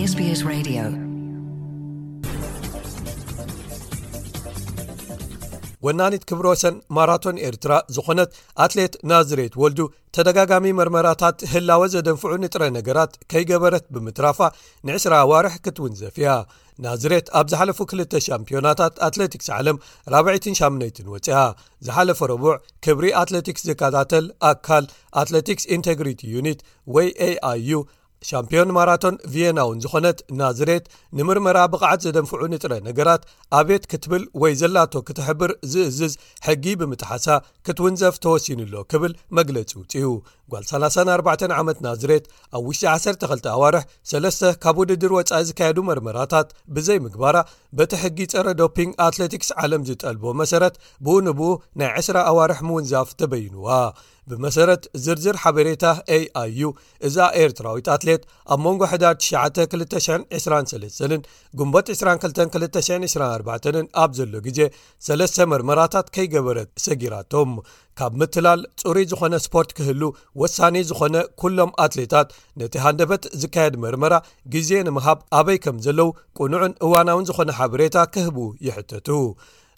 SBS Radio. ወናኒት ክብረ ወሰን ማራቶን ኤርትራ ዝኾነት ኣትሌት ናዝሬት ወልዱ፣ ተደጋጋሚ መርመራታት ህላወ ዘደንፍዑ ንጥረ ነገራት ከይገበረት ብምትራፋ፣ ንዕስራ ኣዋርሕ ክትውንዘፍ እያ። ናዝሬት ኣብ ዝሓለፉ ክልተ ሻምፒዮናታት ኣትሌቲክስ ዓለም ራብዐይትን ሻምነይትን ወፂኣ። ዝሓለፈ ረቡዕ ክብሪ ኣትሌቲክስ ዝከታተል ኣካል ኣትሌቲክስ ኢንቴግሪቲ ዩኒት ወይ ኤኣይዩ፣ ሻምፒዮን ማራቶን ቪየና እውን ዝኾነት ናዝሬት፣ ንምርመራ ብቕዓት ዘደንፍዑ ንጥረ ነገራት ኣቤት ክትብል ወይ ዘላቶ ክትሕብር ዝእዝዝ ሕጊ ብምጥሓሳ ክትውንዘፍ ተወሲኑ ኣሎ ክብል መግለጺ ውፅዩ። ጓል ሰላሳን ኣርባዕተን ዓመት ናዝሬት፣ ኣብ ውሽጢ ዓሰርተ ክልተ ኣዋርሕ ሰለስተ ካብ ውድድር ወጻኢ ዝካየዱ መርመራታት ብዘይ ምግባራ፣ በቲ ሕጊ ጸረ ዶፒንግ ኣትሌቲክስ ዓለም ዝጠልቦ መሰረት፣ ብኡ ንብኡ ናይ ዕስራ ኣዋርሕ ምውንዛፍ ተበይኑዋ። ብመሰረት ዝርዝር ሓበሬታ ኤኣይዩ፣ እዛ ኤርትራዊት ኣትሌት ኣብ መንጎ ሕዳር ትሽዓተ ክልተ ሽሕን ዕስራን ሰለስተን ግንቦት ዕስራን ክልተን ክልተ ሽሕን ዕስራን ኣርባዕተን ኣብ ዘሎ ግዜ ሰለስተ መርመራታት ከይገበረት ሰጊራቶም። ካብ ምትላል፣ ጽሩይ ዝኾነ ስፖርት ክህሉ ወሳኒ ዝኾነ፣ ኩሎም ኣትሌታት ነቲ ሃንደበት ዝካየድ መርመራ ግዜ ንምሃብ ኣበይ ከም ዘለዉ ቅኑዕን እዋናውን ዝኾነ ሓበሬታ ክህቡ ይሕተቱ።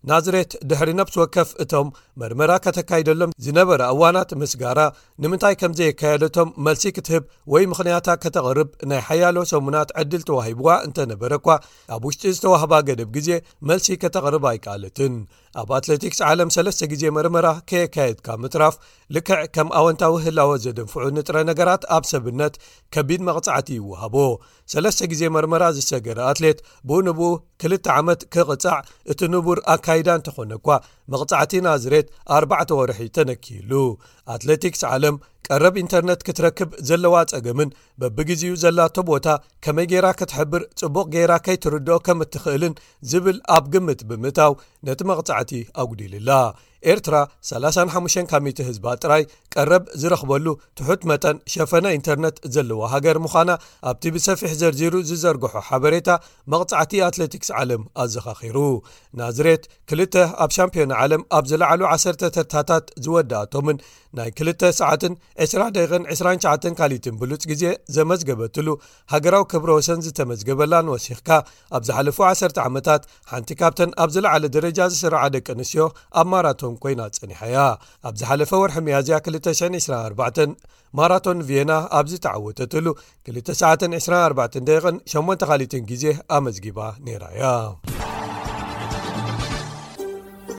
ናዝሬት ድሕሪ ነብሲ ወከፍ እቶም መርመራ ከተካይደሎም ዝነበረ እዋናት ምስጋራ፣ ንምንታይ ከም ዘየካየደቶም መልሲ ክትህብ ወይ ምኽንያታ ከተቕርብ ናይ ሓያሎ ሰሙናት ዕድል ተዋሂብዋ እንተነበረ እኳ፣ ኣብ ውሽጢ ዝተዋህባ ገደብ ግዜ መልሲ ከተቕርብ ኣይከኣለትን። ኣብ ኣትሌቲክስ ዓለም ሰለስተ ግዜ መርመራ ከየካየድካ ምትራፍ፣ ልክዕ ከም ኣወንታዊ ህላወ ዘደንፍዑ ንጥረ ነገራት ኣብ ሰብነት ከቢድ መቕጻዕቲ ይወሃቦ። ሰለስተ ግዜ መርመራ ዝሰገረ ኣትሌት ብኡ ንብኡ ክልተ ዓመት ክቕጻዕ እቲ ንቡር ኣካይዳ እንተኾነ እኳ፣ መቕጻዕቲ ናዝሬት ኣርባዕተ ወርሒ ተነኪሉ። ኣትሌቲክስ ዓለም ቀረብ ኢንተርነት ክትረክብ ዘለዋ ጸገምን በብግዜኡ ዘላቶ ቦታ ከመይ ጌራ ክትሕብር ጽቡቕ ጌራ ከይትርድኦ ከም እትኽእልን ዝብል ኣብ ግምት ብምእታው ነቲ መቕጻዕቲ ኣጉዲልላ። ኤርትራ ሰላሳን ሓሙሽተን ካብ ሚእቲ ህዝባ ጥራይ ቀረብ ዝረኽበሉ ትሑት መጠን ሸፈነ ኢንተርነት ዘለዋ ሃገር ምዃና ኣብቲ ብሰፊሕ ዘርዚሩ ዝዘርግሖ ሓበሬታ መቕጻዕቲ ኣትሌቲክስ ዓለም ኣዘኻኺሩ። ናዝሬት ክልተ ኣብ ሻምፒዮን ዓለም ኣብ ዝለዓሉ ዓሰርተ ተርታታት ዝወዳእቶምን ናይ ክልተ ሰዓትን ዕስራ ደቂቕን ዕስራን ትሽዓተን ካሊትን ብሉጽ ግዜ ዘመዝገበትሉ ሃገራዊ ክብረ ወሰን ዝተመዝገበላን ወሲኽካ፣ ኣብ ዝሓለፉ ዓሰርተ ዓመታት ሓንቲ ካብተን ኣብ ዝለዓለ ደረጃ ዝስርዓ ደቂ ኣንስትዮ ኣብ ማራቶን ኮይና ጸኒሓ እያ። ኣብ ዝሓለፈ ወርሒ ሚያዝያ ክልተ ሽሕን ዕስራን ኣርባዕተን ማራቶን ቪየና ኣብ ዝተዓወተትሉ ክልተ ሰዓትን ዕስራን ኣርባዕተን ደቂቕን ሸሞንተ ካሊትን ግዜ ኣመዝጊባ ነይራ እያ።